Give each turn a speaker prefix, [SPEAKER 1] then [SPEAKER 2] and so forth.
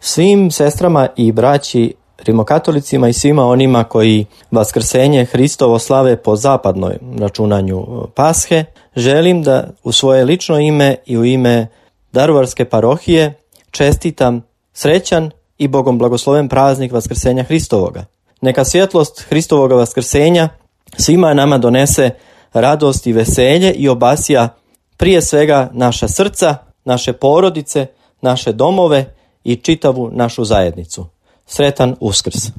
[SPEAKER 1] Svim sestrama i braći rimokatolicima i svima onima koji Vaskrsenje Hristovo slave po zapadnoj računanju Pashe, želim da u svoje lično ime i u ime Daruvarske parohije čestitam srećan i Bogom blagosloven praznik Vaskrsenja Hristovoga. Neka svjetlost Hristovoga Vaskrsenja svima nama donese radost i veselje i obasja prije svega naša srca, naše porodice, naše domove i čitavu našu zajednicu. Sretan Uskrs!